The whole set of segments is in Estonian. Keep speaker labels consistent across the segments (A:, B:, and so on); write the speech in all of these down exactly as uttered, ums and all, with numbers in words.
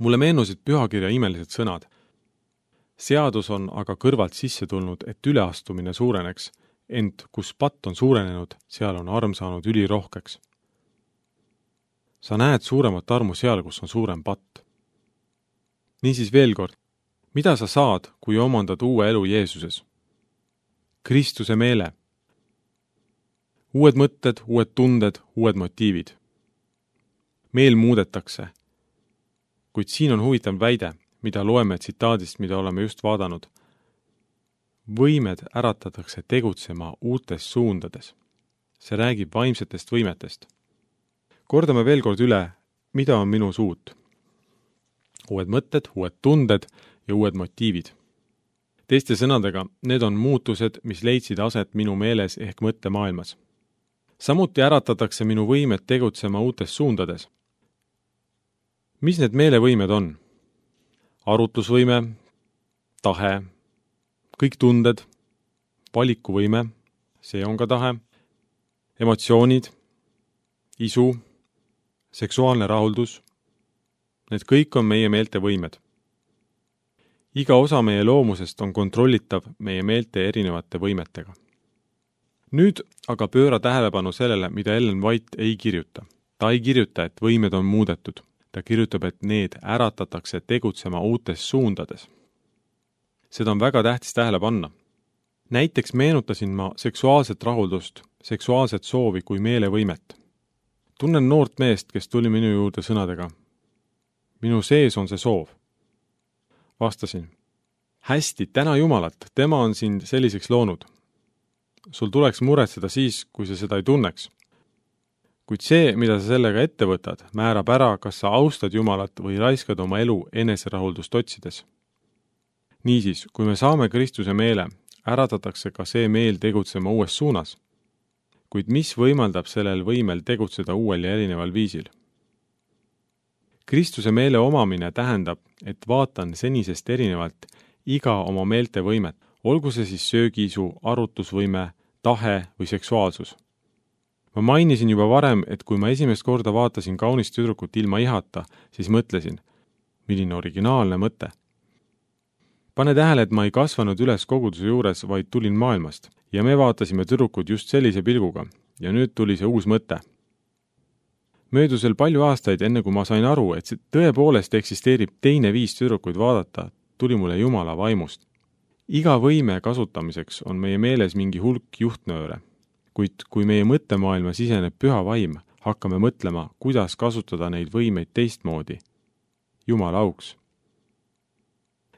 A: Mulle meenusid pühakirja imelised sõnad. Seadus on aga kõrvalt sisse tulnud, et üleastumine suureneks, ent kus patt on suurenenud, seal on arm saanud ülirohkeks. Sa näed suuremat armu seal, kus on suurem patt. Niisiis veel kord, mida sa saad, kui omandad uue elu Jeesuses? Kristuse meele. Uued mõtted, uued tunded, uued motiivid. Meel muudetakse. Kuid siin on huvitav väide, mida loeme tsitaadist, mida oleme just vaadanud. Võimed äratatakse tegutsema uutes suundades. See räägib vaimsetest võimetest. Kordame veel kord üle, mida on minu suut. Uued mõtted, uued tunded ja uued motiivid. Teiste sõnadega, need on muutused, mis leidsid aset minu meeles ehk mõttemaailmas. Samuti äratatakse minu võimed tegutsema uutes suundades. Mis need meelevõimed on? Arutlusvõime, tahe, kõik tunded, valikuvõime, see on ka tahe, emotsioonid, isu, seksuaalne rahuldus, need kõik on meie meelte võimed. Iga osa meie loomusest on kontrollitav meie meelte erinevate võimetega. Nüüd aga pööra tähelepanu sellele, mida Ellen White ei kirjuta. Ta ei kirjuta, et võimed on muudetud. Ta kirjutab, et need äratatakse tegutsema uutes suundades. Seda on väga tähtis tähele panna. Näiteks meenutasin ma seksuaalset rahuldust, seksuaalset soovi kui meelevõimet. Tunnen noort meest, kes tuli minu juurde sõnadega. Minu sees on see soov. Vastasin. Hästi, täna Jumalat, tema on sind selliseks loonud. Sul tuleks muretseda siis, kui sa seda ei tunneks. Kuid see, mida sa sellega ette võtad, määrab ära, kas sa austad Jumalat või raiskad oma elu eneserahuldust otsides. Niisiis, kui me saame Kristuse meele, äratatakse ka see meel tegutsema uues suunas. Kuid mis võimaldab sellel võimel tegutseda uuel ja erineval viisil? Kristuse meele omamine tähendab, et vaatan senisest erinevalt iga oma meelte võimet, olgu see siis söögiisu, arutusvõime, tahe või seksuaalsus. Ma mainisin juba varem, et kui ma esimest korda vaatasin kaunist tüdrukut ilma ihata, siis mõtlesin, milline originaalne mõte. Pane tähele, et ma ei kasvanud üles koguduse juures, vaid tulin maailmast ja me vaatasime tüdrukud just sellise pilguga ja nüüd tuli see uus mõte. Möödusel palju aastaid, enne kui ma sain aru, et see tõepoolest eksisteerib teine viis tüdrukuid vaadata, tuli mulle Jumala vaimust. Iga võime kasutamiseks on meie meeles mingi hulk juhtnööre, kuid kui meie mõttemaailma siseneb püha vaim, hakkame mõtlema, kuidas kasutada neid võimeid teistmoodi. Jumala auks.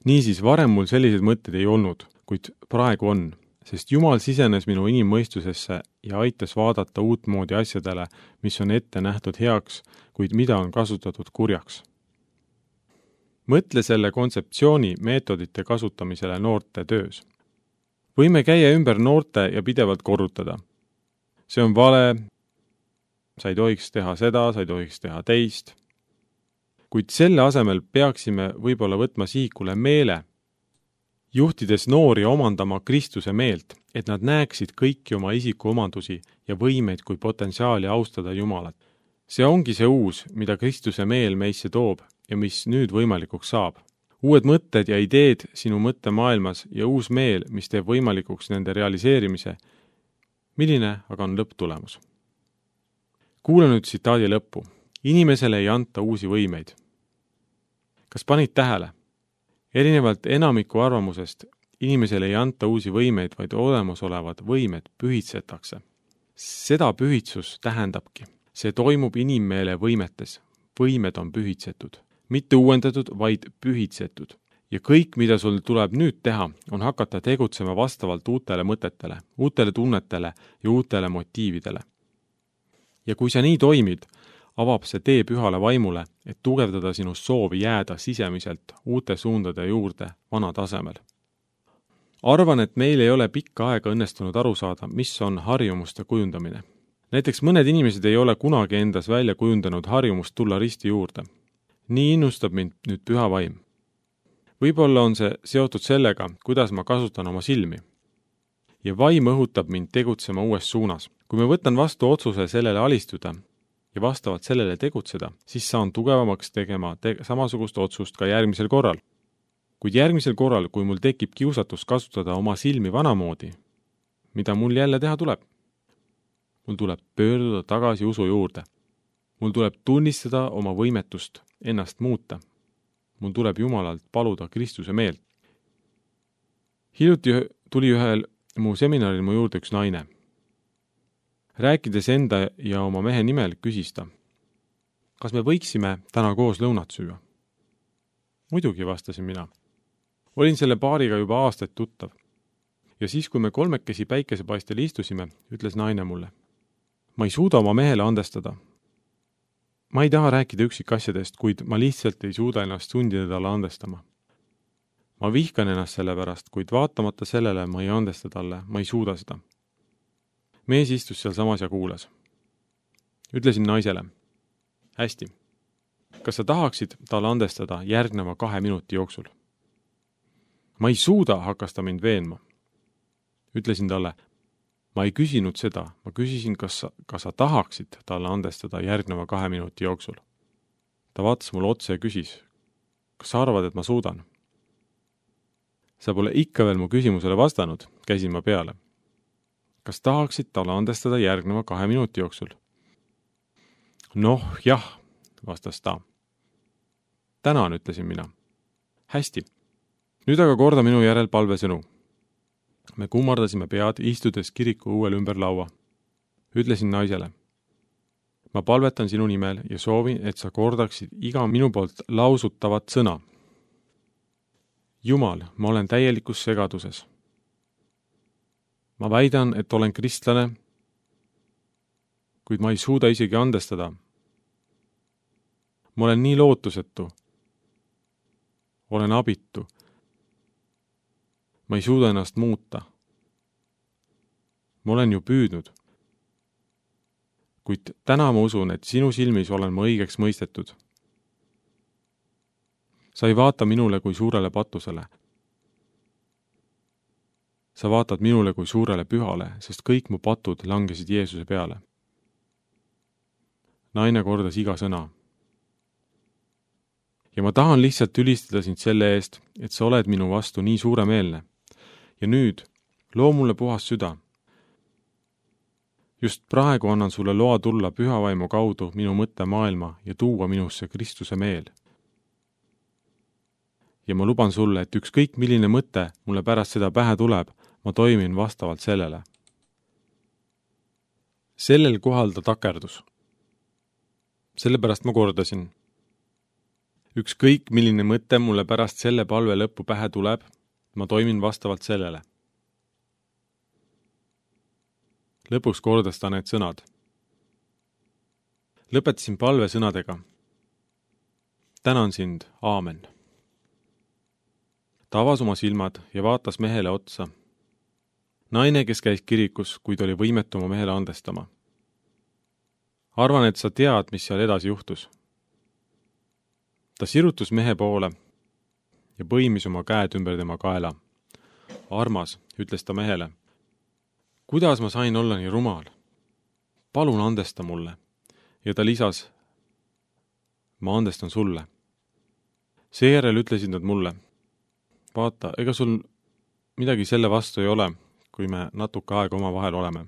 A: Niisiis, varem mul sellised mõtted ei olnud, kuid praegu on, sest Jumal sisenes minu inimmõistusesse ja aitas vaadata uutmoodi asjadele, mis on ette nähtud heaks, kuid mida on kasutatud kurjaks. Mõtle selle kontseptsiooni meetodite kasutamisele noorte töös. Võime käia ümber noorte ja pidevalt korrutada. See on vale, sa ei tohiks teha seda, sa ei tohiks teha teist. Kuid selle asemel peaksime võib-olla võtma sihikule meele, juhtides noori omandama Kristuse meelt, et nad näeksid kõiki oma isikuomandusi ja võimeid kui potentsiaali austada Jumalat. See ongi see uus, mida Kristuse meel meisse toob ja mis nüüd võimalikuks saab. Uued mõtted ja ideed sinu mõttemaailmas ja uus meel, mis teeb võimalikuks nende realiseerimise. Milline aga on lõpptulemus? Kuule nüüd tsitaadi lõppu. Inimesele ei anta uusi võimeid. Kas panid tähele? Erinevalt enamiku arvamusest, inimesele ei anta uusi võimeid, vaid olemasolevad võimed pühitsetakse. Seda pühitsus tähendabki. See toimub inimmeele võimetes. Võimed on pühitsetud. Mitte uuendatud, vaid pühitsetud. Ja kõik, mida sul tuleb nüüd teha, on hakata tegutsema vastavalt uutele mõtetele, uutele tunnetele ja uutele motiividele. Ja kui sa nii toimid, avab see tee pühale vaimule, et tugevdada sinu soovi jääda sisemiselt uute suundade juurde vana tasemel. Arvan, et meil ei ole pikka aega õnnestunud aru saada, mis on harjumuste kujundamine. Näiteks mõned inimesed ei ole kunagi endas välja kujundanud harjumust tulla risti juurde. Nii innustab mind nüüd püha vaim. Võib-olla on see seotud sellega, kuidas ma kasutan oma silmi. Ja vaim õhutab mind tegutsema uues suunas. Kui me võtan vastu otsuse sellele alistuda ja vastavalt sellele tegutseda, siis saan tugevamaks tegema te samasugust otsust ka järgmisel korral. Kuid järgmisel korral, kui mul tekib kiusatus kasutada oma silmi vanamoodi, mida mul jälle teha tuleb? Mul tuleb pöörduda tagasi usu juurde. Mul tuleb tunnistada oma võimetust ennast muuta. Mul tuleb Jumalalt paluda Kristuse meelt. Hiljuti tuli ühel mu seminaril mu juurde üks naine. Rääkides enda ja oma mehe nimel, küsis ta, kas me võiksime täna koos lõunat süüa? Muidugi, vastasin mina. Olin selle paariga juba aastaid tuttav. Ja siis, kui me kolmekesi päikesepaistel istusime, ütles naine mulle, ma ei suuda oma mehele andestada. Ma ei taha rääkida üksikasjadest, kuid ma lihtsalt ei suuda ennast sundida talle andestama. Ma vihkan ennast selle pärast, kuid vaatamata sellele ma ei andesta talle, ma ei suuda seda. Mees istus seal samas ja kuulas. Ütlesin naisele, hästi, kas sa tahaksid talle andestada järgneva kahe minuti jooksul? Ma ei suuda, hakkas ta mind veenma. Ütlesin talle, ma ei küsinud seda, ma küsisin, kas sa, kas sa tahaksid talle andestada järgneva kahe minuti jooksul. Ta vaatas mulle otse ja küsis, kas sa arvad, et ma suudan? Sa pole ikka veel mu küsimusele vastanud, käisin ma peale. Kas tahaksid talle andestada järgneva kahe minuti jooksul? Noh, jah, vastas ta. Tänan, ütlesin mina. Hästi. Nüüd aga korda minu järel palvesõnu. Me kummardasime pead, istudes kiriku uuel ümber laua. Ütlesin naisele, ma palvetan sinu nimel ja soovin, et sa kordaksid iga minu poolt lausutavat sõna. Jumal, ma olen täielikus segaduses. Ma väidan, et olen kristlane, kuid ma ei suuda isegi andestada. Ma olen nii lootusetu. Olen abitu. Ma ei suuda ennast muuta. Ma olen ju püüdnud. Kuid täna ma usun, et sinu silmis olen ma õigeks mõistetud. Sa ei vaata minule kui suurele patusele. Sa vaatad minule kui suurele pühale, sest kõik mu patud langesid Jeesuse peale. Naine kordas iga sõna. Ja ma tahan lihtsalt ülistada sind selle eest, et sa oled minu vastu nii suuremeelne. Ja nüüd, loo mulle puhas süda. Just praegu annan sulle loa tulla pühavaimu kaudu minu mõtte maailma ja tuua minusse Kristuse meel. Ja ma luban sulle, et ükskõik milline mõte mulle pärast seda pähe tuleb, ma toimin vastavalt sellele. Sellel kohal ta takerdus. Sellepärast ma kordasin. Ükskõik milline mõte mulle pärast selle palve lõppu pähe tuleb, ma toimin vastavalt sellele. Lõpuks kordas ta need sõnad. Lõpetasin palve sõnadega. Tänan sind, aamen. Ta avas oma silmad ja vaatas mehele otsa. Naine, kes käis kirikus, kuid oli võimetu oma mehele andestama. Arvan, et sa tead, mis seal edasi juhtus. Ta sirutus mehe poole ja põimis oma käed ümber tema kaela. Armas, ütles ta mehele, kuidas ma sain olla nii rumal? Palun andesta mulle. Ja ta lisas, ma andestan sulle. Seejärel ütlesid nad mulle, vaata, ega sul midagi selle vastu ei ole, kui me natuke aega oma vahel oleme.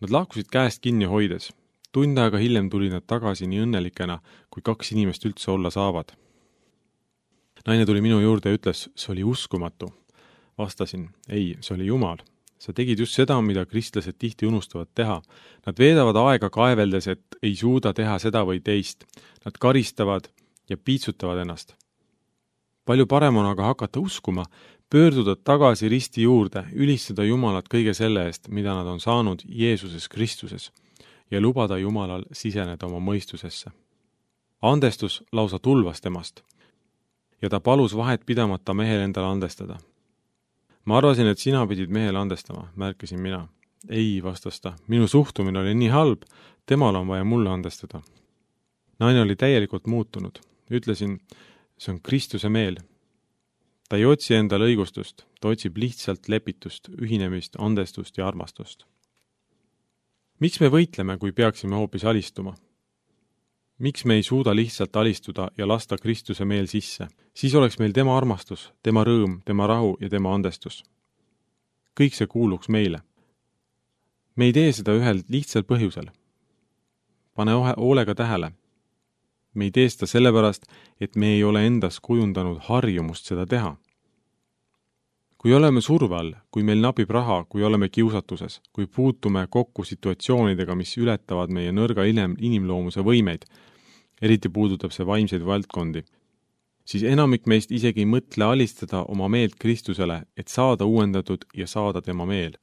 A: Nad lahkusid käest kinni hoides. Tund aega hiljem tuli nad tagasi nii õnnelikena, kui kaks inimest üldse olla saavad. Naine tuli minu juurde ja ütles, see oli uskumatu. Vastasin, ei, see oli Jumal. Sa tegid just seda, mida kristlased tihti unustavad teha. Nad veedavad aega kaeveldes, et ei suuda teha seda või teist. Nad karistavad ja piitsutavad ennast. Palju parem on aga hakata uskuma, pöörduda tagasi risti juurde, ülistada Jumalat kõige selle eest, mida nad on saanud Jeesuses Kristuses ja lubada Jumalal siseneda oma mõistusesse. Andestus lausa tulvas temast ja ta palus vahet pidamata mehel endale andestada. Ma arvasin, et sina pidid mehele andestama, märkisin mina. Ei, vastas ta, minu suhtumine oli nii halb, temal on vaja mulle andestada. Naine oli täielikult muutunud. Ütlesin, see on Kristuse meel. Ta ei otsi endale õigustust, ta otsib lihtsalt lepitust, ühinemist, andestust ja armastust. miks me võitleme, kui peaksime hoopis alistuma? Miks me ei suuda lihtsalt alistuda ja lasta Kristuse meel sisse? Siis oleks meil tema armastus, tema rõõm, tema rahu ja tema andestus. Kõik see kuuluks meile. Me ei tee seda ühel lihtsal põhjusel. Pane hoolega tähele. Me ei tee seda sellepärast, et me ei ole endas kujundanud harjumust seda teha. Kui oleme surve all, kui meil napib raha, kui oleme kiusatuses, kui puutume kokku situatsioonidega, mis ületavad meie nõrga inimloomuse võimeid, eriti puudutab see vaimseid valdkondi, siis enamik meist isegi ei mõtle alistada oma meelt Kristusele, et saada uuendatud ja saada tema meel.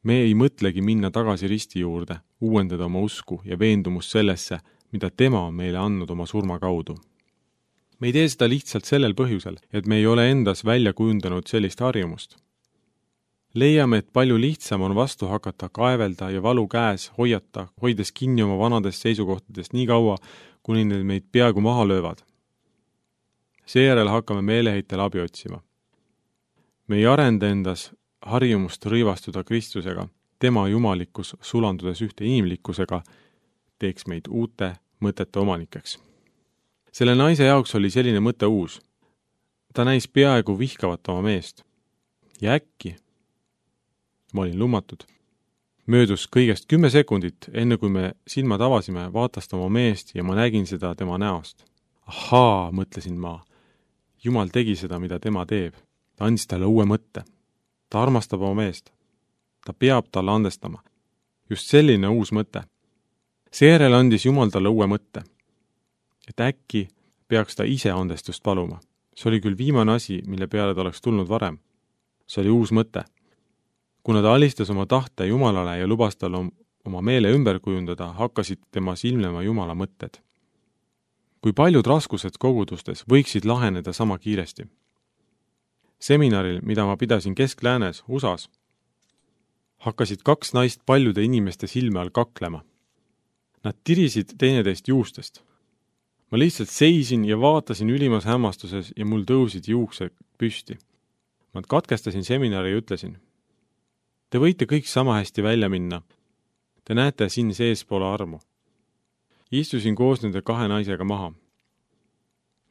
A: Me ei mõtlegi minna tagasi risti juurde, uuendada oma usku ja veendumust sellesse, mida tema on meile andnud oma surma kaudu. Me ei tee seda lihtsalt sellel põhjusel, et me ei ole endas välja kujundanud sellist harjumust. Leiame, et palju lihtsam on vastu hakata kaevelda ja valu käes hoiata, hoides kinni oma vanadest seisukohtadest nii kaua, kuni need meid peaaegu maha löövad. Seejärel hakkame meeleheitel abi otsima. Me ei arenda endas harjumust rõivastuda Kristusega, tema jumalikkus sulandudes ühte inimlikkusega, teeks meid uute mõtete omanikeks. Selle naise jaoks oli selline mõte uus. Ta näis peaaegu vihkavat oma meest. Ja äkki, ma olin lummatud, möödus kõigest kümme sekundit, enne kui me silmad avasime, vaatas ta oma meest ja ma nägin seda tema näost. Ahaa, mõtlesin ma. Jumal tegi seda, mida tema teeb. Ta andis talle uue mõtte. Ta armastab oma meest. Ta peab talle andestama. Just selline uus mõte. Seejärel andis Jumal talle uue mõtte. Et äkki peaks ta ise andestust paluma. See oli küll viimane asi, mille peale ta oleks tulnud varem. See oli uus mõte. Kuna ta alistas oma tahte Jumalale ja lubas tal oma meele ümber kujundada, hakkasid tema silmlema Jumala mõtted. Kui paljud raskused kogudustes võiksid laheneda sama kiiresti. Seminaril, mida ma pidasin Kesk-Läänes, U S A-s, hakkasid kaks naist paljude inimeste silme all kaklema. Nad tirisid teineteist juustest. Ma lihtsalt seisin ja vaatasin ülimas hämmastuses ja mul tõusid juuksed püsti. Ma katkestasin seminari ja ütlesin, te võite kõik sama hästi välja minna. Te näete siin sees pole armu. Istusin koos nende kahe naisega maha.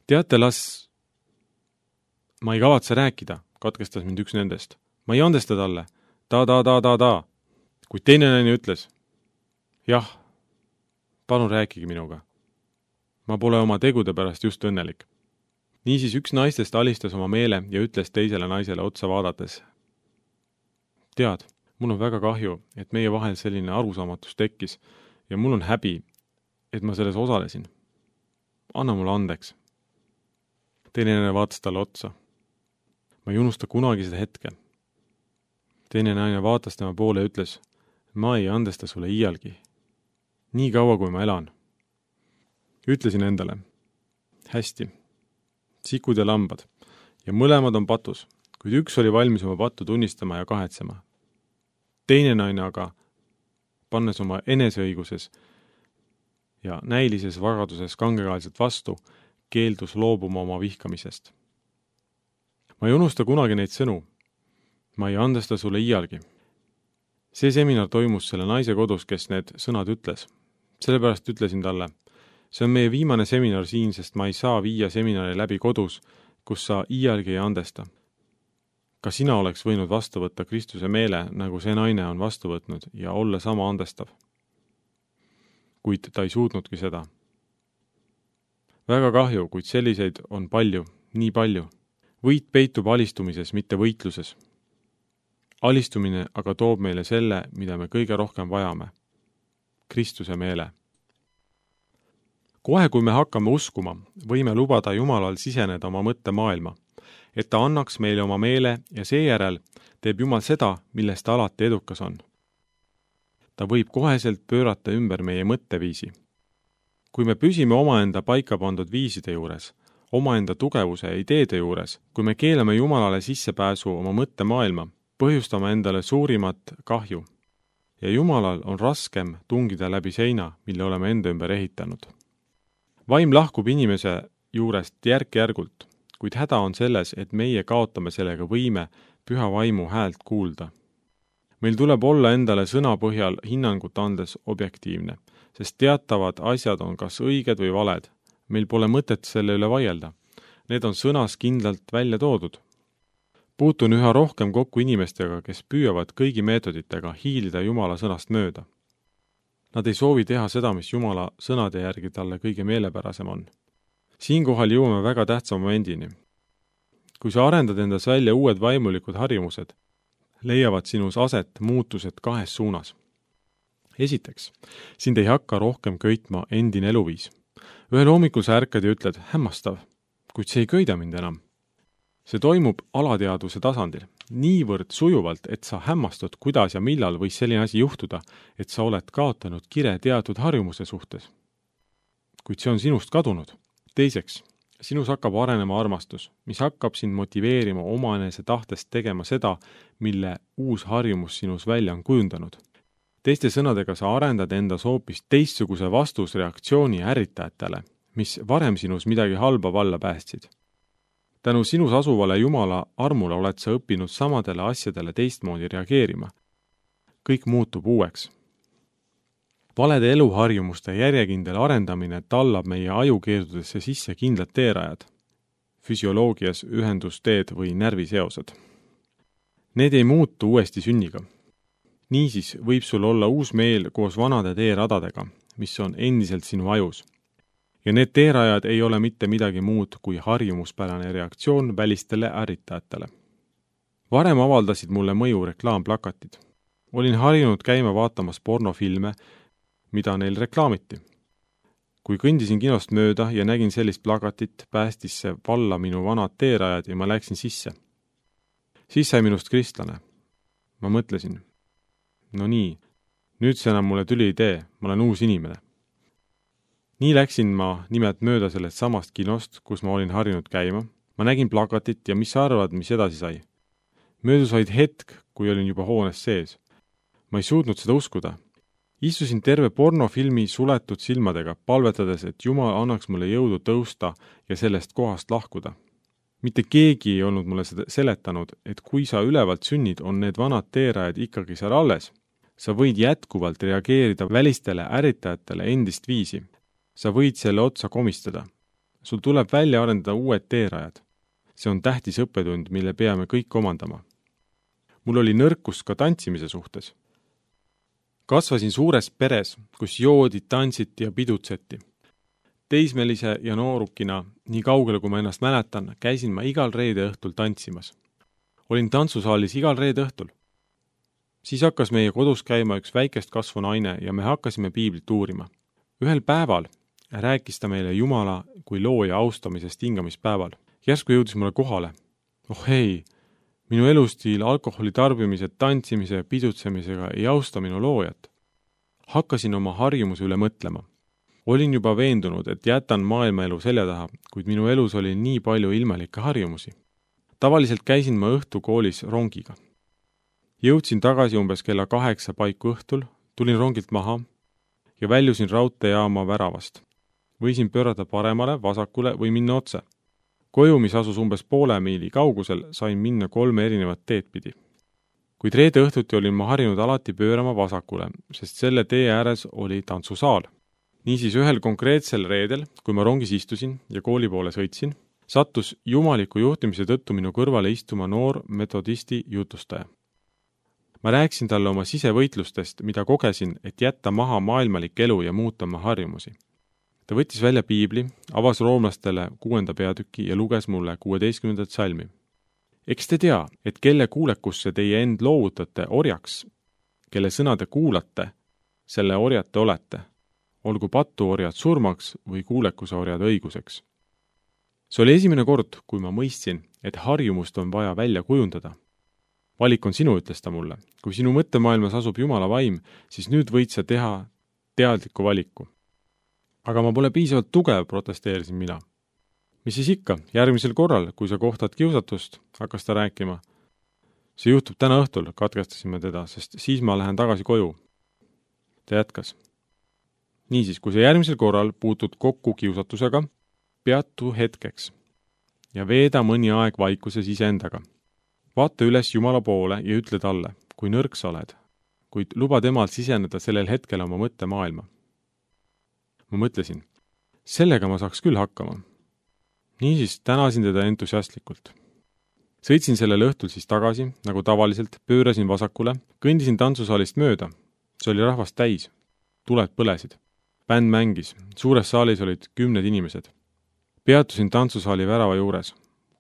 A: Teate, las... Ma ei kavatse rääkida, katkestas mind üks nendest. Ma ei andesta talle. Ta, ta, ta, ta, ta. Kuid teine naine ütles, jah, palun rääkige minuga. Ma pole oma tegude pärast just õnnelik. Niisiis üks naistest alistas oma meele ja ütles teisele naisele otsa vaadates. Tead, mul on väga kahju, et meie vahel selline arusaamatus tekkis ja mul on häbi, et ma selles osalesin. Anna mulle andeks. Teine naine vaatas talle otsa. Ma ei unusta kunagi seda hetke. Teine naine vaatas tema poole ja ütles, ma ei andesta sulle iialgi. Nii kaua, kui ma elan. Ütlesin endale, hästi, sikud ja lambad, ja mõlemad on patus, kuid üks oli valmis oma pattu tunnistama ja kahetsema. Teine naine aga, pannes oma eneseõiguses ja näilises vagaduses kangekaelselt vastu, keeldus loobuma oma vihkamisest. Ma ei unusta kunagi neid sõnu. Ma ei andesta sulle iialgi. See seminar toimus selle naise kodus, kes need sõnad ütles. Sellepärast ütlesin talle, see on meie viimane seminar siin, sest ma ei saa viia seminari läbi kodus, kus sa iialgi ei andesta. Ka sina oleks võinud vastu võtta Kristuse meele, nagu see naine on vastu võtnud ja olla sama andestav. Kuid ta ei suutnudki seda. Väga kahju, kuid selliseid on palju, nii palju. Võit peitub alistumises, mitte võitluses. Alistumine aga toob meile selle, mida me kõige rohkem vajame. Kristuse meele. Kohe, kui me hakkame uskuma, võime lubada Jumalal siseneda oma mõtte maailma, et ta annaks meile oma meele ja seejärel teeb Jumal seda, millest ta alati edukas on. Ta võib koheselt pöörata ümber meie mõtteviisi. Kui me püsime omaenda paika pandud viiside juures, omaenda tugevuse ja ideede juures, kui me keelame Jumalale sissepääsu oma mõtte maailma, põhjustame endale suurimat kahju ja Jumalal on raskem tungida läbi seina, mille oleme enda ümber ehitanud. Vaim lahkub inimese juurest järk-järgult, kuid häda on selles, et meie kaotame sellega võime püha vaimu häält kuulda. meil tuleb olla endale sõna põhjal hinnangut andes objektiivne, sest teatavad asjad on kas õiged või valed. Meil pole mõtet selle üle vaielda. Need on sõnas kindlalt välja toodud. Puutun üha rohkem kokku inimestega, kes püüavad kõigi meetoditega hiilida Jumala sõnast mööda. Nad ei soovi teha seda, mis Jumala sõnade järgi talle kõige meelepärasem on. Siinkohal jõuame väga tähtsa momendini. Kui sa arendad endas välja uued vaimulikud harjumused, leiavad sinus aset muutused kahes suunas. Esiteks, sind ei hakka rohkem köitma endine eluviis. Ühel hommikul sa ärkad ja ütled, hämmastav, kuid see ei köida mind enam. See toimub alateadvuse tasandil, niivõrd sujuvalt, et sa hämmastud, kuidas ja millal võis selline asi juhtuda, et sa oled kaotanud kire teatud harjumuse suhtes. Kuid see on sinust kadunud. Teiseks, sinus hakkab arenema armastus, mis hakkab sind motiveerima omanese tahtest tegema seda, mille uus harjumus sinus välja on kujundanud. Teiste sõnadega sa arendad endas hoopis teistsuguse vastusreaktsiooni ärritajatele, mis varem sinus midagi halba valla päästsid. Tänu sinus asuvale Jumala armule oled sa õppinud samadele asjadele teistmoodi reageerima. Kõik muutub uueks. Valede eluharjumuste järjekindel arendamine tallab meie ajukeerdudesse sisse kindlad teerajad, füsioloogias ühendusteed või närviseosed. Need ei muutu uuesti sünniga. Niisiis võib sul olla uus meel koos vanade teeradadega, mis on endiselt sinu ajus. Ja need teerajad ei ole mitte midagi muud kui harjumuspärane reaktsioon välistele ärritajatele. Varem avaldasid mulle mõju reklaamplakatid. Olin harjunud käima vaatamas pornofilme, mida neil reklaamiti. Kui kõndisin kinost mööda ja nägin sellist plakatit, päästis see valla minu vanad teerajad ja ma läksin sisse. Siis sai minust kristlane. Ma mõtlesin, no nii, nüüd see enam mulle tüli ei tee, ma olen uus inimene. Nii läksin ma nimelt mööda sellest samast kinost, kus ma olin harjunud käima. Ma nägin plakatit ja mis sa arvad, mis edasi sai? Möödus vaid hetk, kui olin juba hoones sees. Ma ei suutnud seda uskuda. Istusin terve pornofilmi suletud silmadega, palvetades, et Jumal annaks mulle jõudu tõusta ja sellest kohast lahkuda. Mitte keegi ei olnud mulle seda seletanud, et kui sa ülevalt sünnid, on need vanad teerajad ikkagi seal alles. Sa võid jätkuvalt reageerida välistele ärritajatele endist viisi. Sa võid selle otsa komistada. Sul tuleb välja arendada uued teerajad. See on tähtis õppetund, mille peame kõik omandama. Mul oli nõrkus ka tantsimise suhtes. Kasvasin suures peres, kus joodi, tantsiti ja pidutseti. Teismelise ja noorukina, nii kaugele kui ma ennast mäletan, käisin ma igal reede õhtul tantsimas. Olin tantsusaalis igal reede õhtul. Siis hakkas meie kodus käima üks väikest kasvu naine ja me hakkasime piiblit uurima. Ühel päeval rääkis ta meile Jumala kui looja austamisest hingamispäeval. Järsku jõudis mulle kohale. Oh hei, minu elustiil alkoholi tarbimise, tantsimise ja pidutsemisega ei austa minu loojat. Hakkasin oma harjumuse üle mõtlema. Olin juba veendunud, et jätan maailmaelu selja taha, kuid minu elus oli nii palju ilmalikke harjumusi. Tavaliselt käisin ma õhtukoolis rongiga. Jõudsin tagasi umbes kella kaheksa paiku õhtul, tulin rongilt maha ja väljusin raudteejaama väravast. Võisin pöörata paremale, vasakule või minna otse. Koju, mis asus umbes poole miili kaugusel, sain minna kolme erinevat teed pidi. Kuid reede õhtuti olin ma harjunud alati pöörama vasakule, sest selle tee ääres oli tantsusaal. Niisiis ühel konkreetsel reedel, kui ma rongis istusin ja kooli poole sõitsin, sattus jumaliku juhtimise tõttu minu kõrvale istuma noor metodisti jutustaja. Ma rääkisin talle oma sisevõitlustest, mida kogesin, et jätta maha maailmalik elu ja muuta oma harjumusi. Ta võttis välja piibli, avas roomlastele kuuenda peatüki ja luges mulle kuueteistkümnendat salmi. Eks te tea, et kelle kuulekusse teie end loovutate orjaks, kelle sõna te kuulate, selle orjad te olete, olgu patuorjad surmaks või kuulekuse orjad õiguseks. See oli esimene kord, kui ma mõistsin, et harjumust on vaja välja kujundada. Valik on sinu, ütles ta mulle. Kui sinu mõttemaailmas asub Jumala vaim, siis nüüd võid sa teha teadliku valiku. Aga ma pole piisavalt tugev, protesteerisin mina. Mis siis ikka, järgmisel korral, kui sa kohtad kiusatust, hakkas ta rääkima. See juhtub täna õhtul, katkestasime teda, sest siis ma lähen tagasi koju. Ta jätkas. Niisiis, kui sa järgmisel korral puutud kokku kiusatusega, peatu hetkeks ja veeda mõni aeg vaikuses iseendaga. Vaata üles Jumala poole ja ütle talle, kui nõrk sa oled, kuid luba temal siseneda sellel hetkel oma mõttemaailma. Ma mõtlesin, sellega ma saaks küll hakkama. Niisiis tänasin teda entusiastlikult. Sõitsin sellel õhtul siis tagasi, nagu tavaliselt, pöörasin vasakule, kõndisin tantsusaalist mööda. See oli rahvast täis. Tuled põlesid. Bänd mängis. Suures saalis olid kümned inimesed. Peatusin tantsusaali värava juures,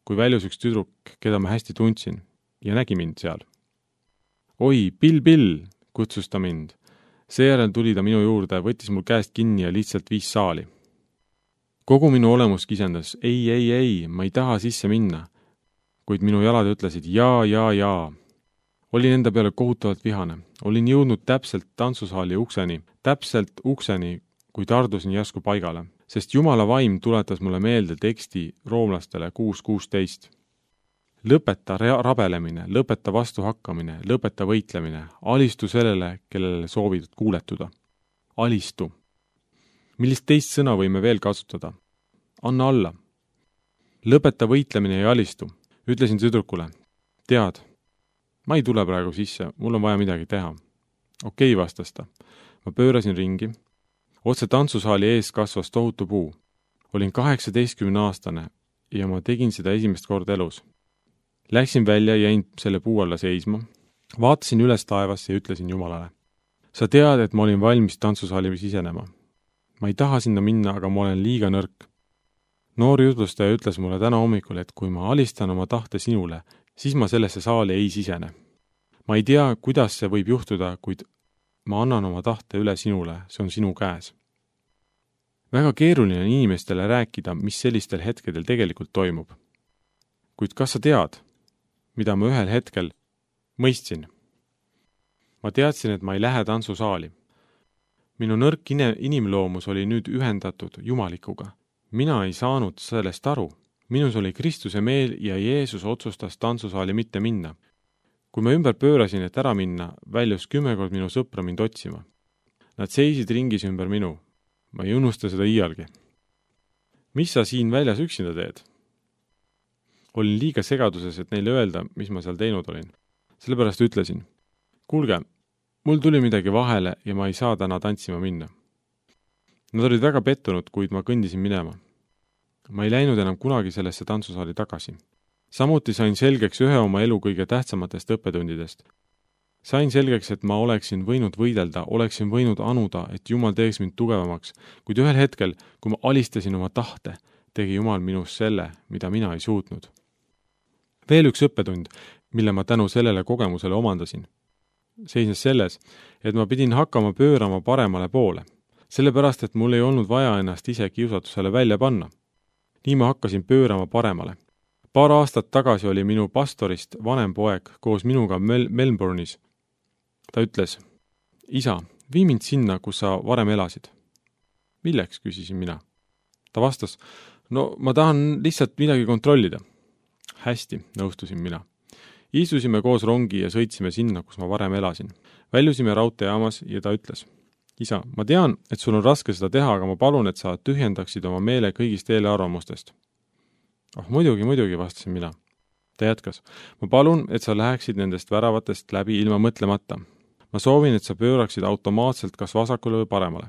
A: kui väljus üks tüdruk, keda ma hästi tundsin, ja nägi mind seal. Oi, Bill, Bill, kutsus ta mind. Seejärel tuli ta minu juurde, võttis mul käest kinni ja lihtsalt viis saali. Kogu minu olemus kisendas, ei, ei, ei, ma ei taha sisse minna, kuid minu jalad ütlesid jaa, jaa, jaa. Olin enda peale kohutavalt vihane. Olin jõudnud täpselt tantsusaali ukseni, täpselt ukseni, kui tardusin järsku paigale, sest Jumala vaim tuletas mulle meelde teksti roomlastele kuus kuusteist. Lõpeta rabelemine, lõpeta vastuhakkamine, lõpeta võitlemine, alistu sellele, kellele soovid kuuletuda. Alistu. Millist teist sõna võime veel kasutada? Anna alla. Lõpeta võitlemine ja alistu. Ütlesin tüdrukule, tead, ma ei tule praegu sisse, mul on vaja midagi teha. Okei, vastas ta. Ma pöörasin ringi. Otse tantsusaali ees kasvas tohutu puu. Olin kaheksateistkümne aastane ja ma tegin seda esimest korda elus. Läksin välja ja jäin selle puu alla seisma. Vaatasin üles taevasse ja ütlesin Jumalale. Sa tead, et ma olin valmis tantsusaali sisenema. Ma ei taha sinna minna, aga ma olen liiga nõrk. Noor jutlustaja ütles mulle täna hommikul, et kui ma alistan oma tahte sinule, siis ma sellesse saali ei sisene. Ma ei tea, kuidas see võib juhtuda, kuid ma annan oma tahte üle sinule, see on sinu käes. Väga keeruline on inimestele rääkida, mis sellistel hetkedel tegelikult toimub. Kuid kas sa tead, mida ma ühel hetkel mõistsin? Ma teadsin, et ma ei lähe tantsusaali. Minu nõrk inimloomus oli nüüd ühendatud Jumalikuga. Mina ei saanud sellest aru. Minus oli Kristuse meel ja Jeesus otsustas tantsusaali mitte minna. Kui ma ümber pöörasin, et ära minna, väljus kümme kord minu sõpra mind otsima. Nad seisid ringis ümber minu. Ma ei unusta seda iialgi. Mis sa siin väljas üksinda teed? Olin liiga segaduses, et neile öelda, mis ma seal teinud olin. Sellepärast ütlesin, kuulge, mul tuli midagi vahele ja ma ei saa täna tantsima minna. Nad olid väga pettunud, kuid ma kõndisin minema. Ma ei läinud enam kunagi sellesse tantsusaali tagasi. Samuti sain selgeks ühe oma elu kõige tähtsamatest õppetundidest. Sain selgeks, et ma oleksin võinud võidelda, oleksin võinud anuda, et Jumal teeks mind tugevamaks, kuid ühel hetkel, kui ma alistasin oma tahte, tegi Jumal minus selle, mida mina ei suutnud. Veel üks õppetund, mille ma tänu sellele kogemusele omandasin, seisnes selles, et ma pidin hakkama pöörama paremale poole. Sellepärast, et mul ei olnud vaja ennast ise kiusatusele välja panna. Nii ma hakkasin pöörama paremale. Paar aastat tagasi oli minu pastorist vanem poeg koos minuga Mel- Melbourne'is. Ta ütles, isa, vii mind sinna, kus sa varem elasid. Milleks, küsisin mina. Ta vastas, no ma tahan lihtsalt midagi kontrollida. Hästi, nõustusin mina. Istusime koos rongi ja sõitsime sinna, kus ma varem elasin. Väljusime raudteejaamas ja ta ütles, isa, ma tean, et sul on raske seda teha, aga ma palun, et sa tühjendaksid oma meele kõigist eelarvamustest. Oh, muidugi, muidugi, vastasin mina. Ta jätkas. Ma palun, et sa läheksid nendest väravatest läbi ilma mõtlemata. Ma soovin, et sa pööraksid automaatselt kas vasakule või paremale.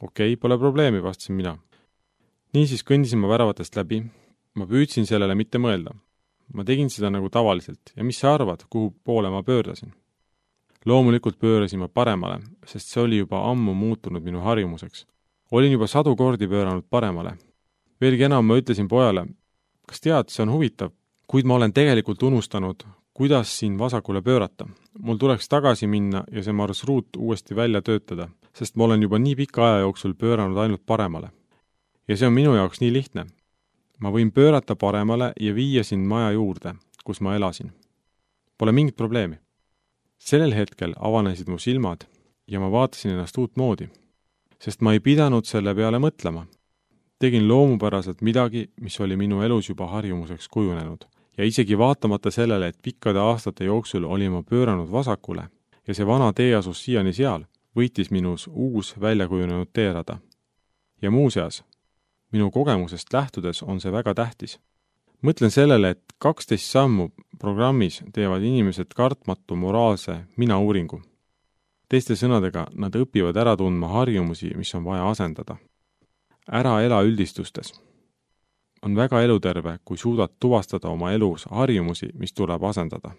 A: Okei, pole probleemi, vastasin mina. Niisiis kõndisin ma väravatest läbi. Ma püüdsin sellele mitte mõelda. Ma tegin seda nagu tavaliselt ja mis sa arvad, kuhu poole ma pöördasin? Loomulikult pöörasin ma paremale, sest see oli juba ammu muutunud minu harjumuseks. Olin juba sadu kordi pööranud paremale. Veelgi enam ma ütlesin pojale, kas tead, see on huvitav, kuid ma olen tegelikult unustanud, kuidas siin vasakule pöörata. Mul tuleks tagasi minna ja see marsruut uuesti välja töötada, sest ma olen juba nii pika aja jooksul pööranud ainult paremale. Ja see on minu jaoks nii lihtne. Ma võin pöörata paremale ja viia sind maja juurde, kus ma elasin. Pole mingit probleemi. Sellel hetkel avanesid mu silmad ja ma vaatasin ennast uut moodi, sest ma ei pidanud selle peale mõtlema. Tegin loomupäraselt midagi, mis oli minu elus juba harjumuseks kujunenud ja isegi vaatamata sellele, et pikkade aastate jooksul oli ma pööranud vasakule ja see vana tee asus siiani seal, võitis minus uus väljakujunenud teerada. Ja muuseas, minu kogemusest lähtudes on see väga tähtis. Mõtlen sellele, et kaksteist sammu programmis teevad inimesed kartmatu moraalse mina-uuringu. Teiste sõnadega, nad õpivad ära tundma harjumusi, mis on vaja asendada. Ära ela üldistustes. On väga eluterve, kui suudad tuvastada oma elus harjumusi, mis tuleb asendada.